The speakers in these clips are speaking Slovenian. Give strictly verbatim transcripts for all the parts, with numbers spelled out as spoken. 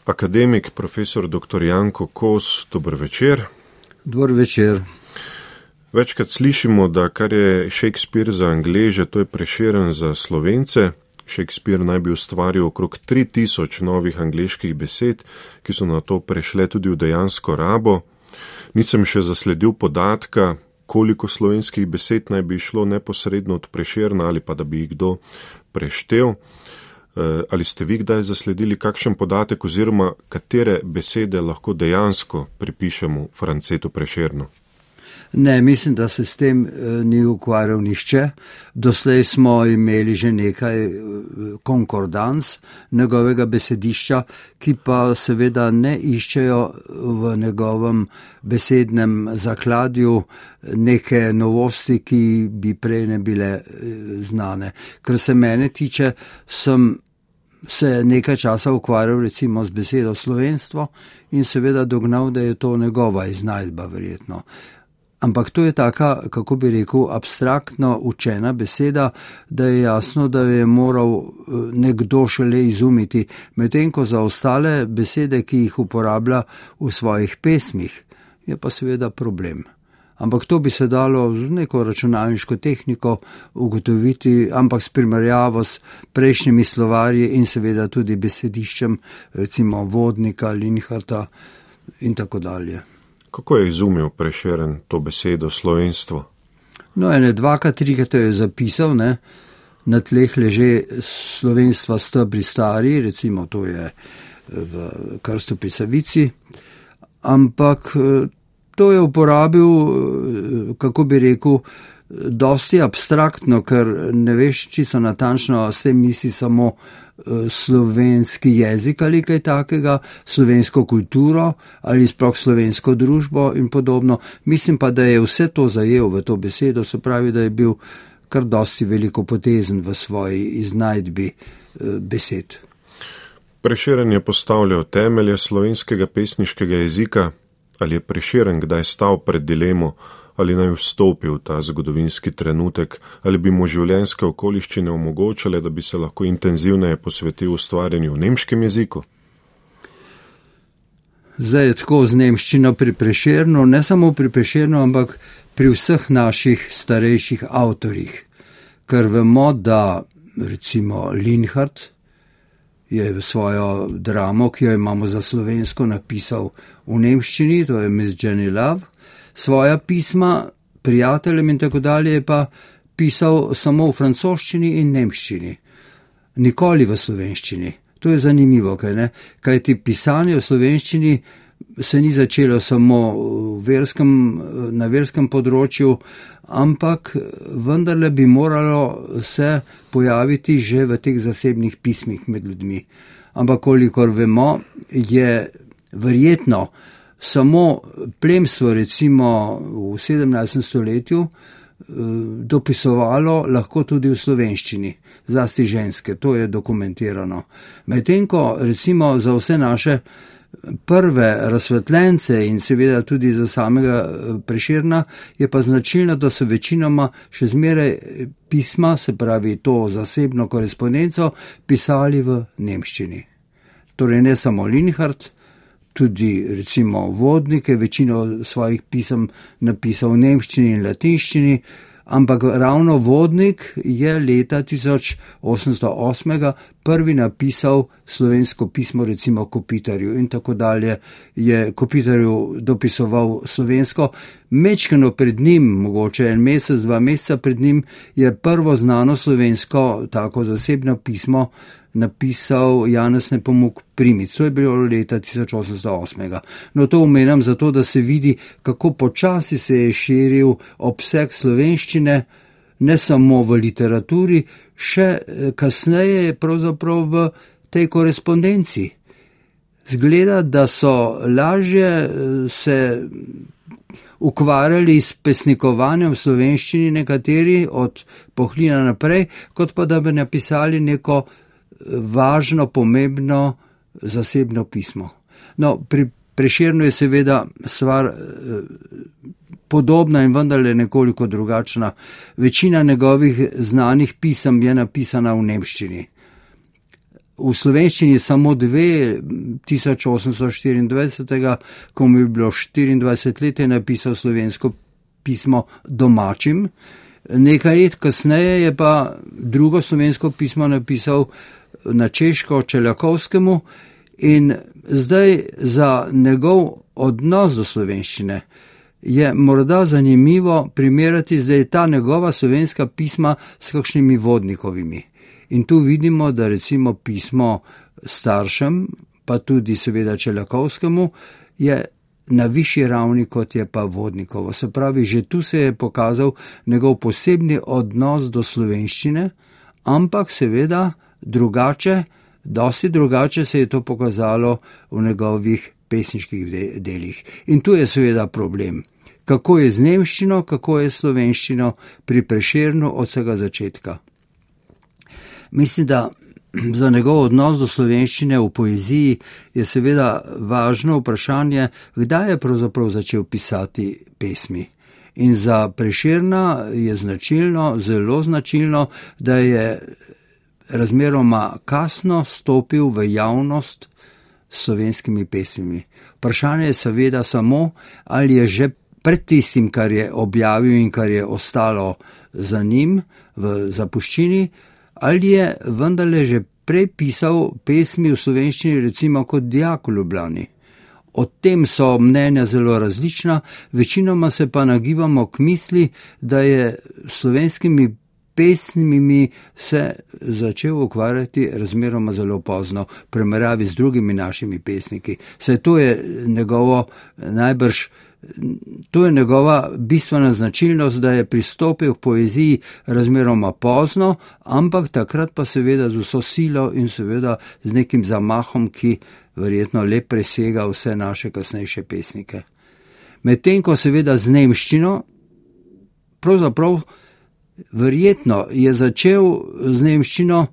Akademik, profesor doktor Janko Kos, dober večer. Dober večer. Večkrat slišimo, da kar je Shakespeare za Angleže, to je Prešeren za Slovence. Shakespeare naj bi ustvaril okrog tri tisoč novih angleških besed, ki so na to prešle tudi v dejansko rabo. Nisem še zasledil podatka, koliko slovenskih besed naj bi šlo neposredno od Prešerna ali pa da bi jih kdo preštel. Ali ste vi kdaj zasledili kakšen podatek oziroma katere besede lahko dejansko pripišemo Francetu Prešernu? Ne, mislim, da se s tem ni ukvarjal nihče. Doslej smo imeli že nekaj konkordans njegovega besedišča, ki pa seveda ne iščejo v njegovem besednem zakladju neke novosti, ki bi prej ne bile znane. Kar se mene tiče, sem se nekaj časa ukvarjal recimo z besedo slovenstvo in seveda dognal, da je to njegova iznajdba verjetno. Ampak to je taka, kako bi rekel, abstraktno učena beseda, da je jasno, da je moral nekdo šele izumiti, medtem ko za ostale besede, ki jih uporablja v svojih pesmih, je pa seveda problem. Ampak to bi se dalo z neko računalniško tehniko ugotoviti, ampak s primerjavo s prejšnjimi slovarji in seveda tudi besediščem, recimo Vodnika, Linharta in tako dalje. Kako je izumil Prešeren to besedo slovenstvo? No, ene dvakrat, trikrat je zapisal, ne, na tleh leže slovenstva stebri stari, recimo to je v Krstu Pisavici, ampak to je uporabil, kako bi rekel, dosti abstraktno, ker ne veš čisto natančno, se misli samo slovenski jezik ali kaj takega, slovensko kulturo ali sploh slovensko družbo in podobno. Mislim pa, da je vse to zajel v to besedo, se pravi, da je bil kar dosti velikopotezen v svoji iznajdbi besed. Prešeren je postavljal temelje slovenskega pesniškega jezika. Ali je Prešeren kdaj stal pred dilemo, ali naj vstopi v ta zgodovinski trenutek, ali bi mu življenjske okoliščine omogočale, da bi se lahko intenzivneje posvetil ustvarjanju v nemškem jeziku? Zdaj je tako z nemščino pri Prešernu, ne samo pri Prešernu, ampak pri vseh naših starejših avtorjih. Ker vemo, da recimo Linhart je svojo dramo, ki jo imamo za slovensko, napisal v nemščini, to je Miss Jenny Love, svoja pisma prijateljem in tako dalje je pa pisal samo v francoščini in nemščini, nikoli v slovenščini. To je zanimivo, kaj ne? Kajti pisanje v slovenščini se ni začelo samo v verskem, na verskem področju, ampak vendarle bi moralo se pojaviti že v teh zasebnih pismih med ljudmi. Ampak kolikor vemo, je verjetno samo plemstvo recimo v sedemnajstem stoletju dopisovalo lahko tudi v slovenščini, zlasti ženske, to je dokumentirano. Medtem ko recimo za vse naše prve razsvetljence in seveda tudi za samega Prešerna je pa značilno, da so večinoma še zmeraj pisma, se pravi to zasebno korespondenco, pisali v nemščini. Torej ne samo Linhart, tudi recimo Vodnik je večino svojih pisem napisal v nemščini in latinščini, ampak ravno Vodnik je leta tisoč osemsto osem prvi napisal slovensko pismo recimo Kopitarju in tako dalje je Kopitarju dopisoval slovensko. Mečkano pred njim, mogoče en mesec, dva meseca pred njim, je prvo znano slovensko tako zasebno pismo napisal Janez Nepomuk Primic. To je bilo leta tisoč osemsto osem. No, to omenjam zato, da se vidi, kako počasi se je širil obseg slovenščine, ne samo v literaturi, še kasneje pravzaprav v tej korespondenci. Zgleda, da so lažje se ukvarjali s pesnikovanjem v slovenščini nekateri od Pohlina naprej, kot pa da bi napisali neko važno, pomembno zasebno pismo. No, pri Prešernu je seveda stvar podobna in vendarle nekoliko drugačna. Večina njegovih znanih pisem je napisana v nemščini. v slovenščini samo dve, tisoč osemsto štiriindvajset, ko mu je bilo štiriindvajset let, je napisal slovensko pismo domačim. Nekaj let kasneje je pa drugo slovensko pismo napisal na češko Čeljakovskemu in zdaj za njegov odnos do slovenščine je morda zanimivo primerjati zdaj ta njegova slovenska pisma s kakšnimi vodnikovimi. In tu vidimo, da recimo pismo staršem, pa tudi seveda Čeljakovskemu, je na višji ravni, kot je pa vodnikovo. Se pravi, že tu se je pokazal njegov posebni odnos do slovenščine, ampak seveda drugače, dosti drugače se je to pokazalo v njegovih pesniških delih. In tu je seveda problem. Kako je z nemščino, kako je s slovenščino pri Prešernu od vsega začetka. Mislim, da za njegov odnos do slovenščine v poeziji je seveda važno vprašanje, kdaj je pravzaprav začel pisati pesmi. In za Prešerna je značilno, zelo značilno, da je razmeroma kasno stopil v javnost s slovenskimi pesmimi. Vprašanje je seveda samo, ali je že pred tistim, kar je objavil in kar je ostalo za njim v zapuščini, ali je vendarle že prej pisal pesmi v slovenščini, recimo kot dijak v Ljubljani. O tem so mnenja zelo različna, večinoma se pa nagibamo k misli, da je slovenskimi pesmimi se začel ukvarjati razmeroma zelo pozno, v primerjavi z drugimi našimi pesniki. Saj to je njegovo najbrž To je njegova bistvena značilnost, da je pristopil k poeziji razmeroma pozno, ampak takrat pa seveda z vso silo in seveda z nekim zamahom, ki verjetno le presega vse naše kasnejše pesnike. Medtem ko seveda z nemščino, pravzaprav verjetno je začel z nemščino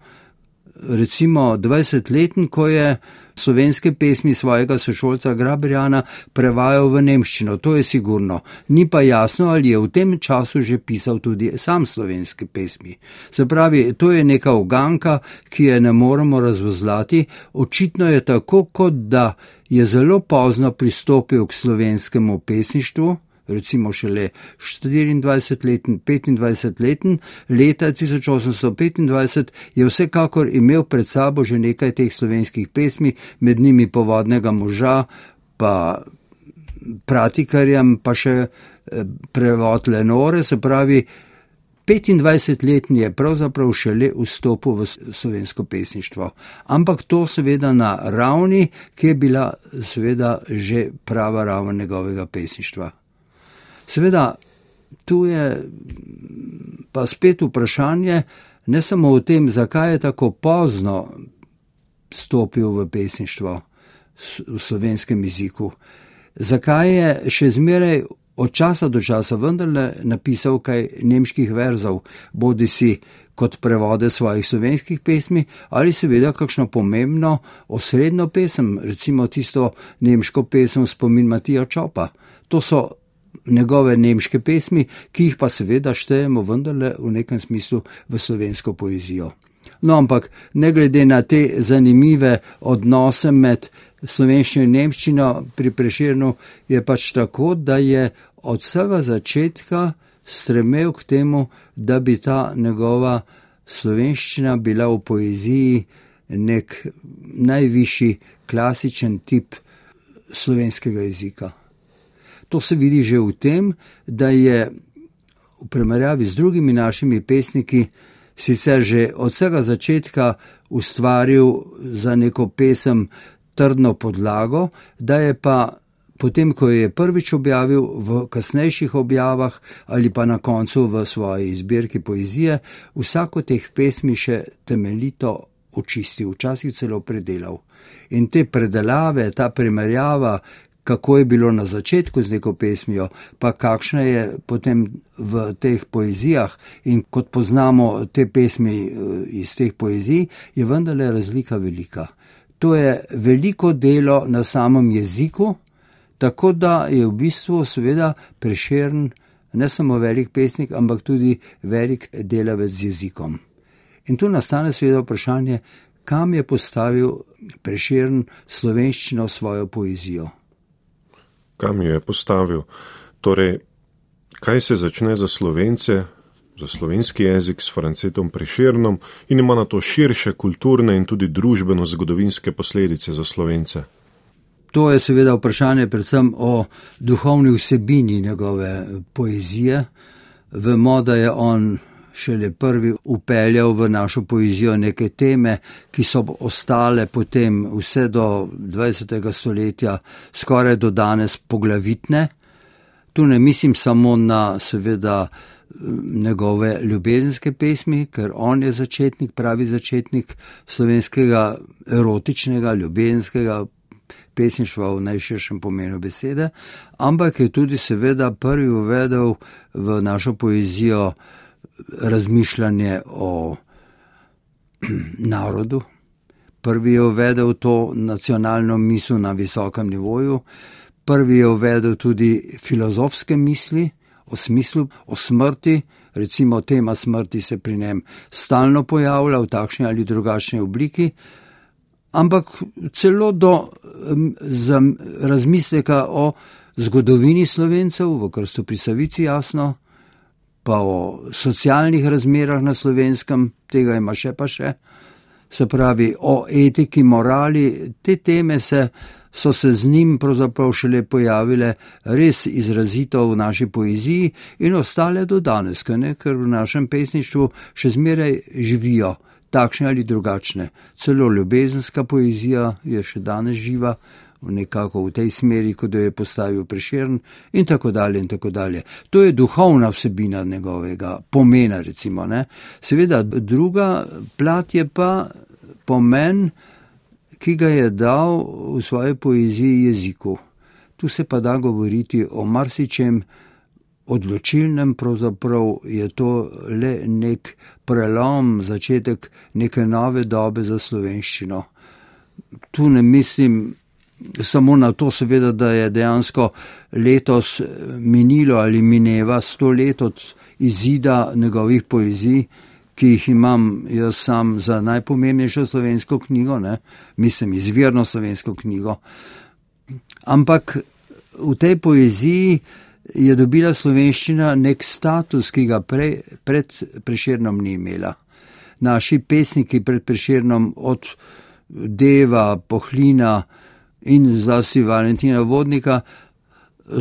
recimo dvajsetleten, ko je slovenske pesmi svojega sošolca Graberjana prevajal v nemščino, to je sigurno. Ni pa jasno, ali je v tem času že pisal tudi sam slovenske pesmi. Se pravi, to je neka uganka, ki je ne moremo razvozlati. Očitno je tako, kot da je zelo pozno pristopil k slovenskemu pesništvu, recimo šele štiriindvajsetleten, petindvajsetleten, leta tisoč osemsto petindvajset je vsekakor imel pred sabo že nekaj teh slovenskih pesmi, med njimi Povodnega moža, pa Pratikarjem, pa še prevod Lenore, se pravi, petindvajsetletni je pravzaprav šele vstopil v slovensko pesništvo. Ampak to seveda na ravni, ki je bila seveda že prava raven njegovega pesništva. Seveda, tu je pa spet vprašanje, ne samo o tem, zakaj je tako pozno stopil v pesništvo v slovenskem jeziku, zakaj je še zmeraj od časa do časa vendarle napisal kaj nemških verzov, bodi si kot prevode svojih slovenskih pesmi, ali seveda kakšno pomembno osrednjo pesem, recimo tisto nemško pesem Spomin Matija Čopa. To so njegove nemške pesmi, ki jih pa seveda štejemo vendarle v nekem smislu v slovensko poezijo. No, ampak ne glede na te zanimive odnose med slovenščino in nemščino pri Prešernu je pač tako, da je od vsega začetka stremel k temu, da bi ta njegova slovenščina bila v poeziji nek najvišji klasičen tip slovenskega jezika. To se vidi že v tem, da je v primerjavi z drugimi našimi pesniki sicer že od vsega začetka ustvaril za neko pesem trdno podlago, da je pa potem, ko je prvič objavil v kasnejših objavah ali pa na koncu v svoji zbirki poezije, vsako teh pesmi še temeljito očistil, včasih celo predelal. In te predelave, ta primerjava, kako je bilo na začetku z neko pesmijo, pa kakšna je potem v teh poezijah in kot poznamo te pesmi iz teh poezij, je vendarle razlika velika. To je veliko delo na samem jeziku, tako da je v bistvu seveda Prešern ne samo velik pesnik, ampak tudi velik delavec z jezikom. In tu nastane seveda vprašanje, kam je postavil Prešern slovenščino svojo poezijo. Kam jo je postavil? Torej, kaj se začne za Slovence, za slovenski jezik s Francetom Prešernom in ima na to širše kulturne in tudi družbeno-zgodovinske posledice za Slovence? To je seveda vprašanje predvsem o duhovni vsebini njegove poezije. Vemo, da je on šele prvi upeljal v našo poezijo neke teme, ki so ostale potem vse do dvajsetega stoletja skoraj do danes poglavitne. Tu ne mislim samo na seveda njegove ljubezenske pesmi, ker on je začetnik, pravi začetnik slovenskega erotičnega, ljubezenskega pesništva v najširšem pomenu besede, ampak je tudi seveda prvi uvedel v našo poezijo razmišljanje o narodu. Prvi je uvedel to nacionalno misel na visokem nivoju, prvi je uvedel tudi filozofske misli o smislu, o smrti, recimo tema smrti se pri njem stalno pojavlja v takšni ali drugačni obliki, ampak celo do um, razmisleka o zgodovini Slovencev, v Krstu pri Savici jasno, pa o socialnih razmerah na Slovenskem, tega ima še pa še, se pravi o etiki, morali, te teme se, so se z njim pravzaprav šele pojavile res izrazito v naši poeziji in ostale do danes, ne? Ker v našem pesništvu še zmeraj živijo takšne ali drugačne. Celo ljubezenska poezija je še danes živa, nekako v tej smeri, kot jo je postavil Prešern in tako dalje in tako dalje. To je duhovna vsebina njegovega pomena, recimo, ne. Seveda, druga plat je pa pomen, ki ga je dal v svoji poeziji jeziku. Tu se pa da govoriti o marsičem odločilnem, pravzaprav je to le nek prelom, začetek neke nove dobe za slovenščino. Tu ne mislim samo na to, seveda, da je dejansko letos minilo ali mineva sto let od izida njegovih poezij, ki jih imam jaz sam za najpomembnejšo slovensko knjigo, ne? Mislim, izvirno slovensko knjigo. Ampak v tej poeziji je dobila slovenščina nek status, ki ga prej, pred Prešernom ni imela. Naši pesniki pred Prešernom od Deva, Pohlina in zlasti Valentina Vodnika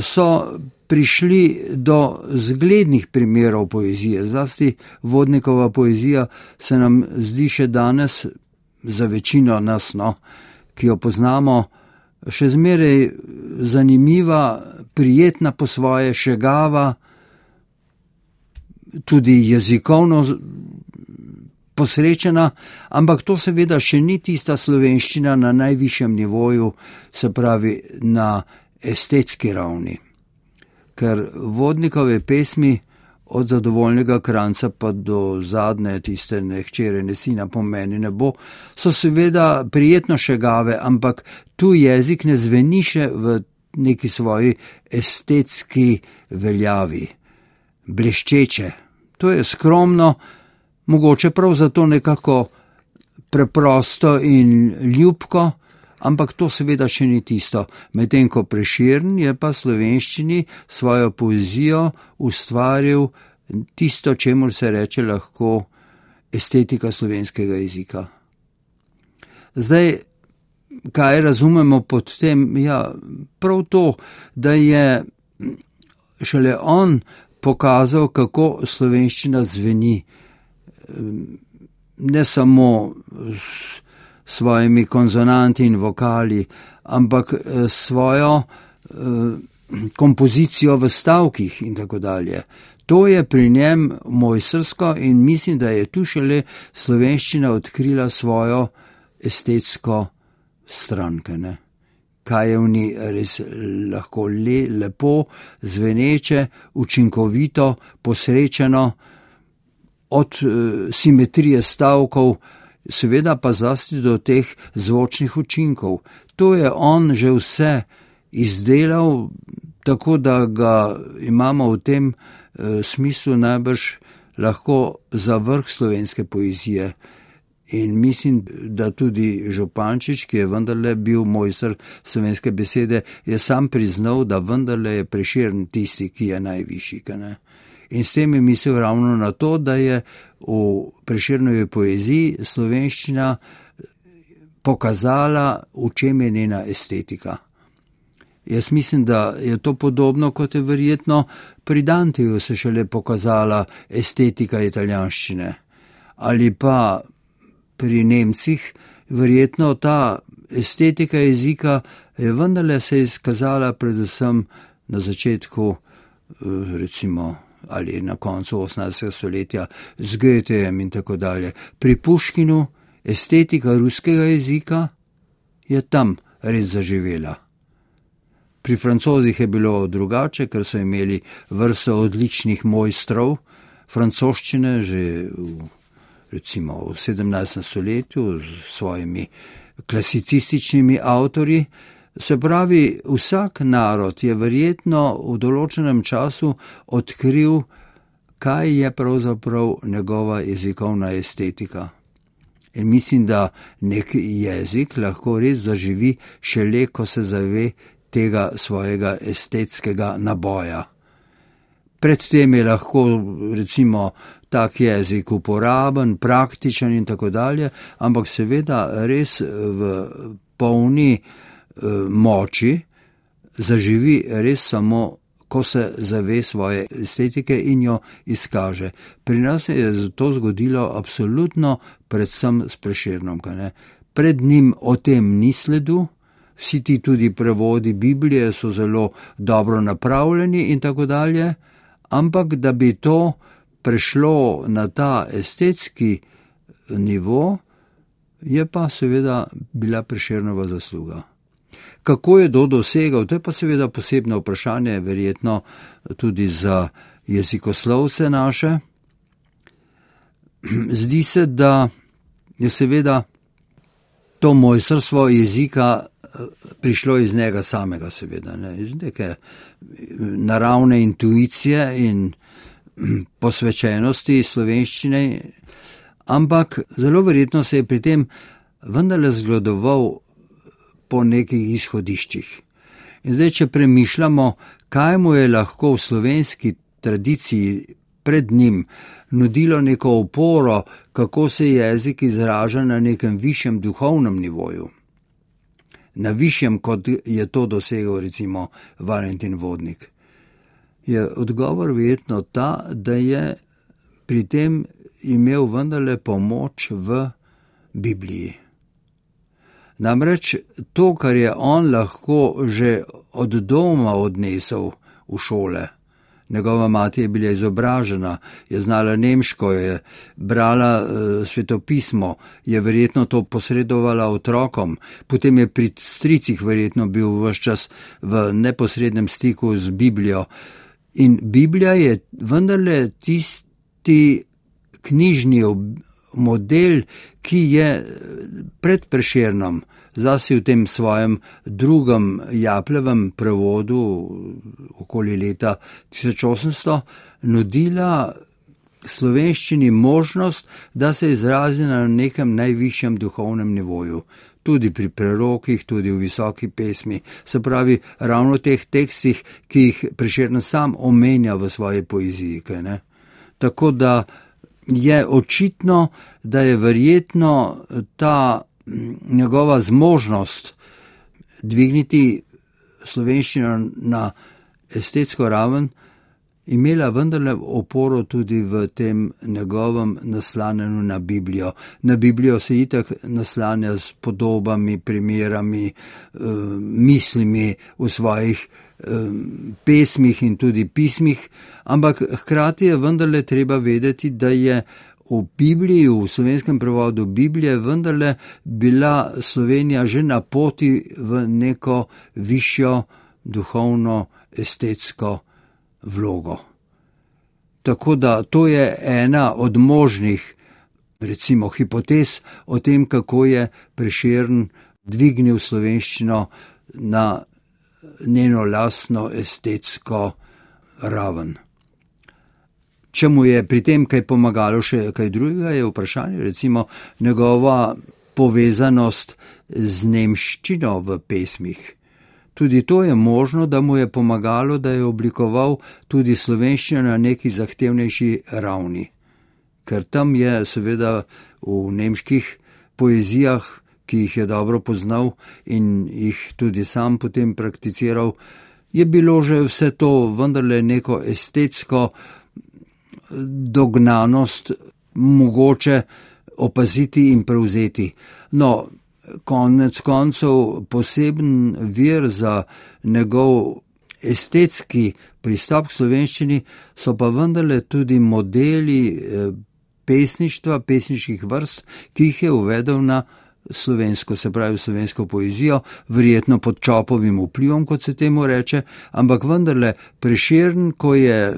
so prišli do zglednih primerov poezije. Zlasti Vodnikova poezija se nam zdi še danes, za večino nas, no, ki jo poznamo, še zmeraj zanimiva, prijetna po svoje, šegava, tudi jezikovno posrečena, ampak to seveda še ni tista slovenščina na najvišjem nivoju, se pravi na estetski ravni. Ker Vodnikove pesmi od Zadovoljnega kranca pa do zadnje tiste ne hčere, ne sina po meni ne bo, so seveda prijetno šegave, ampak tu jezik ne zveni še v neki svoji estetski veljavi, bleščeče. To je skromno, mogoče prav zato nekako preprosto in ljubko, ampak to seveda še ni tisto. Medtem ko Prešern je pa slovenščini svojo poezijo ustvaril tisto, čemur se reče lahko estetika slovenskega jezika. Zdaj, kaj razumemo pod tem? Ja, prav to, da je šele on pokazal, kako slovenščina zveni. Ne samo s svojimi konzonanti in vokali, ampak svojo eh, kompozicijo v stavkih in tako dalje. To je pri njem mojstrsko in mislim, da je tu šele slovenščina odkrila svojo estetsko stranke, ne. Kaj je v njej res lahko le, lepo, zveneče, učinkovito, posrečeno, od e, simetrije stavkov, seveda pa zlasti do teh zvočnih učinkov. To je on že vse izdelal, tako da ga imamo v tem e, smislu najbrž lahko za vrh slovenske poezije In mislim, da tudi Župančič, ki je vendarle bil mojster slovenske besede, je sam priznal, da vendarle je Prešern tisti, ki je najvišji. Ne? In s tem je mislil ravno na to, da je v Prešernovi poeziji slovenščina pokazala, v čem je njena estetika. Jaz mislim, da je to podobno, kot je verjetno pri Danteju se šele pokazala estetika italijanščine. Ali pa pri Nemcih verjetno ta estetika jezika je vendarle se izkazala predvsem na začetku, recimo, ali na koncu osemnajstega stoletja z Goethejem in tako dalje. Pri Puškinu estetika ruskega jezika je tam res zaživela. Pri Francozih je bilo drugače, ker so imeli vrsto odličnih mojstrov francoščine že v, recimo v sedemnajstem stoletju s svojimi klasicističnimi avtorji. Se pravi, vsak narod je verjetno v določenem času odkril, kaj je pravzaprav njegova jezikovna estetika. In mislim, da nek jezik lahko res zaživi šele, ko se zave tega svojega estetskega naboja. Predtem je lahko, recimo, tak jezik uporaben, praktičen in tako dalje, ampak seveda res v polni eh, moči zaživi res samo, ko se zave svoje estetike in jo izkaže. Pri nas je to zgodilo absolutno predvsem s Prešernom. Pred njim o tem ni sledu, vsi ti tudi prevodi Biblije so zelo dobro napravljeni in tako dalje, ampak da bi to prešlo na ta estetski nivo, je pa seveda bila Prešernova zasluga. Kako je to dosegal, to je pa seveda posebno vprašanje, verjetno tudi za jezikoslovce naše. Zdi se, da je seveda to mojstrstvo jezika prišlo iz njega samega, seveda, ne, iz neke naravne intuicije in posvečenosti slovenščine, ampak zelo verjetno se je pri tem vendarle zgledoval po nekih izhodiščih. In zdaj, če premišljamo, kaj mu je lahko v slovenski tradiciji pred njim nudilo neko oporo, kako se jezik izraža na nekem višjem duhovnem nivoju, na višjem, kot je to dosegel recimo Valentin Vodnik, je odgovor verjetno ta, da je pri tem imel vendarle pomoč v Bibliji. Namreč to, kar je on lahko že od doma odnesel v šole, njegova mati je bila izobražena, je znala nemško, je brala e, svetopismo, je verjetno to posredovala otrokom, potem je pri stricih verjetno bil ves čas v neposrednem stiku z Biblijo. In Biblija je vendarle tisti knjižni model, ki je pred Prešernom, zasi v tem svojem drugem Japlevem prevodu okoli leta tisoč osemsto, nudila slovenščini možnost, da se izrazi na nekem najvišjem duhovnem nivoju. Tudi pri prerokih, tudi v visoki pesmi, se pravi ravno v teh tekstih, ki jih Prešern sam omenja v svoji poeziji. Kaj ne? Tako da je očitno, da je verjetno ta njegova zmožnost dvigniti slovenščino na estetsko raven imela vendarle oporo tudi v tem njegovem naslanjanju na Biblijo. Na Biblijo se itak naslanja s podobami, primerami, mislimi v svojih pesmih in tudi pismih, ampak hkrati je vendarle treba vedeti, da je v Bibliji, v slovenskem prevodu Biblije vendarle bila Slovenija že na poti v neko višjo duhovno estetsko vlogo. Tako da to je ena od možnih, recimo, hipotez o tem, kako je Prešern dvignil slovenščino na njeno lastno estetsko raven. Če mu je pri tem kaj pomagalo še kaj drugega, je vprašanje, recimo njegova povezanost z nemščino v pesmih. Tudi to je možno, da mu je pomagalo, da je oblikoval tudi slovenščino na neki zahtevnejši ravni. Ker tam je seveda v nemških poezijah, ki jih je dobro poznal in jih tudi sam potem prakticiral, je bilo že vse to vendarle neko estetsko dognanost mogoče opaziti in prevzeti. No, konec koncev poseben vir za njegov estetski pristop k slovenščini so pa vendarle tudi modeli pesništva, pesniških vrst, ki jih je uvedel na slovensko, se pravi slovensko poezijo, verjetno pod Čopovim vplivom, kot se temu reče, ampak vendarle Prešern, ko je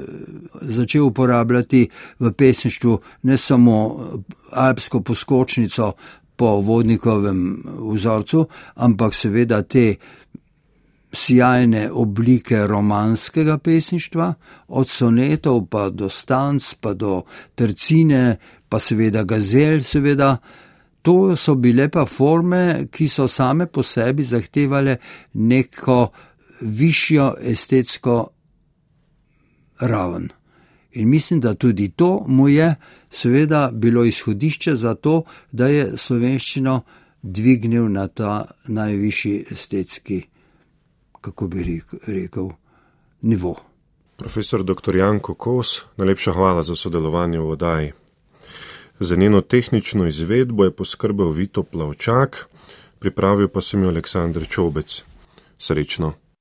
začel uporabljati v pesništvu ne samo alpsko poskočnico po Vodnikovem vzorcu, ampak seveda te sjajne oblike romanskega pesništva, od sonetov pa do stanc, pa do tercine, pa seveda gazel, seveda. To so bile pa forme, ki so same po sebi zahtevale neko višjo estetsko raven. In mislim, da tudi to mu je seveda bilo izhodišče za to, da je slovenščino dvignil na ta najvišji estetski, kako bi rekel, nivo. Profesor doktor Janko Kos, najlepša hvala za sodelovanje v oddaji. Za njeno tehnično izvedbo je poskrbel Vito Plavčak, pripravil pa sem jo Aleksandr Čobec. Srečno.